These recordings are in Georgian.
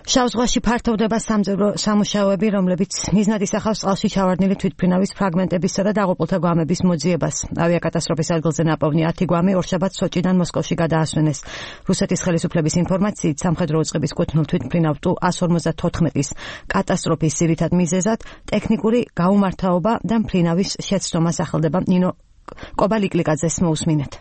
შავ ზღვაში ფართოვდება სამძებრო სამუშაოები, რომლებიც მიზნად ისახავს წყალში ჩავარდნილი თვითმფრინავის ფრაგმენტებისა და დაღუპულთა გვამების მოძიებას. ავიაკატასტროფის ადგილზე ნაპოვნი 10 გვამი ორშაბათს სოჭიდან მოსკოვში გადაასვენეს. რუსეთის ხელისუფლების ინფორმაციით, სამხედრო უწყების კუთვნილ თვითმფრინავ Tu-154-ის კატასტროფის ძირითად მიზეზად ტექნიკური გაუმართავობა და მფრინავის შეცდომა სახელდება. ნინო კობალიკლიკაძეს მოусმინეთ.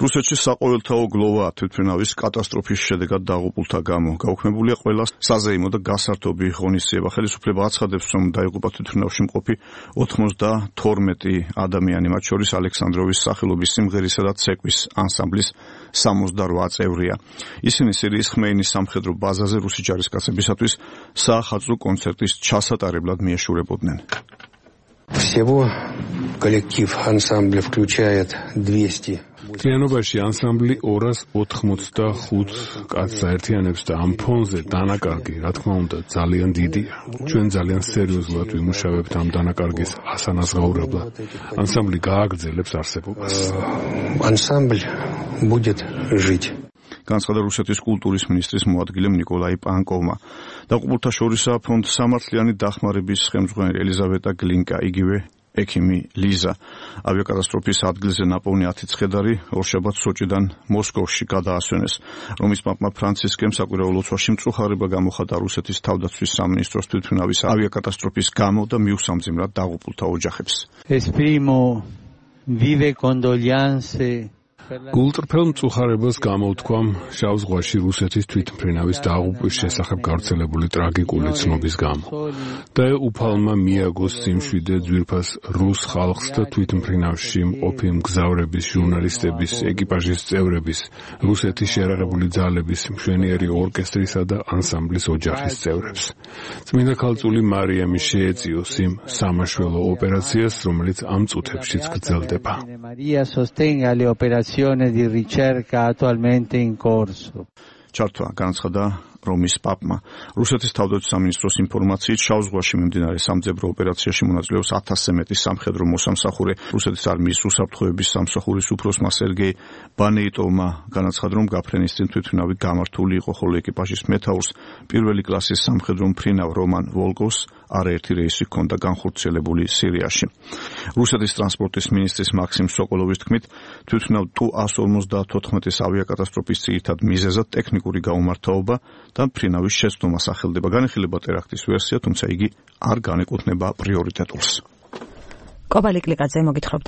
რუსეთში საყოველთაო გლოვა თვითმფრინავის კატასტროფის შედეგად დაღუპულთა გამო. გაუქმებულია ყველა საზეიმო და გასართობი ღონისძიება. ხელისუფლება აცხადებს, რომ დაიღუპა თვითმფრინავში მყოფი 92 ადამიანი, მათ შორის ალექსანდროვის სახელობის სიმღერისა და ცეკვის ანსამბლის 68 წევრია. ისინი სირიის ხმეინის სამხედრო ბაზაზე რუსი ჯარისკაცებისათვის საახალწლო კონცერტის ჩასატარებლად მიეშურებოდნენ. Всего коллектив ансамбля включает 200. Тлიანობაში ანსამბლი 285 კაცს აერთიანებს და ამ ფონზე დანაკარგი, რა თქმა უნდა, ძალიან დიდია. ჩვენ ძალიან სერიოზულად ვიმუშავებთ ამ დანაკარგის ასანაზღაურებლად. ანსამბლი გააგრძელებს არსებობას. Ансамбль будет жить. განაცხადა რუსეთის კულტურის მინისტრის მოადგილემ ნიკოლაი პანკოვმა. დაღუპულთა შორისაა ფონდ სამართლიანი დახმარების ხელმძღვანელი ელიზავეტა გლინკა, იგივე ექიმი ლიზა. ავიაკატასტროფის ადგილზე ნაპოვნი 10 ცხედარი ორშაბათს სოჭიდან მოსკოვში გადაასვენეს. რომის პაპმა ფრანცისკემ საკვირაო ლოცვაში მწუხარება გამოხატა რუსეთის თავდაცვის სამინისტროს თვითმფრინავის ავიაკატასტროფის გამო და მიუსამძიმრად დაღუპულთა ოჯახებს. Esprimo vive condoglianze. გულწრფელ მწუხარებას გამოვთქვამ შავ ზღვაში რუსეთის თვითმფრინავის დაღუპვის შესახებ გავრცელებული ტრაგიკული ცნობის გამო და უფალმა მიაგოს სიმშვიდე ძვირფას რუს ხალხს და თვითმფრინავში მყოფი მგზავრების, ჟურნალისტების, ეკიპაჟის წევრების, რუსეთის შეიარაღებული ძალების, მშვენიერი ორკესტრისა და ანსამბლის ოჯახის წევრებს. წმინდა ქალწული მარიამი შეეწიოს იმ სამაშველო ოპერაციას, რომელიც ამ წუთებშიც გრძელდება. Di ricerca attualmente in corso. ჩართვა განაცხადა რომის პაპმა. რუსეთის თავდაცვის სამინისტროს ინფორმაციით შავ ზღვაში მიმდინარე სამძებრო ოპერაციაში მონაწილეობს 1000-ზე მეტი სამხედრო მოსამსახურე. რუსეთის არმიის უსაფრთხოების სამსახურის უფროსმა სერგეი ბანეიტოვმა განაცხადა, რომ გაფრენის წინ თვითმფრინავი გამართული იყო, ხოლო ეკიპაჟის მეთაურს პირველი კლასის სამხედრო მფრინავ რომან ვოლკოვს არაერთი რეისი ჰქონდა განხორციელებული სირიაში. რუსეთის ტრანსპორტის მინისტრის მაქსიმ სოკოლოვის თქმით, თვითმფრინავ Tu-154-ის ავიაკატასტროფის ძირითად მიზეზად ტექნიკური გაუმართავობა და მფრინავის შეცდომა სახელდება. განიხილება ტერაქტის ვერსია, თუმცა იგი არ განეკუთვნება პრიორიტეტულს. კობალიკლიკაძე მოგითხრობ.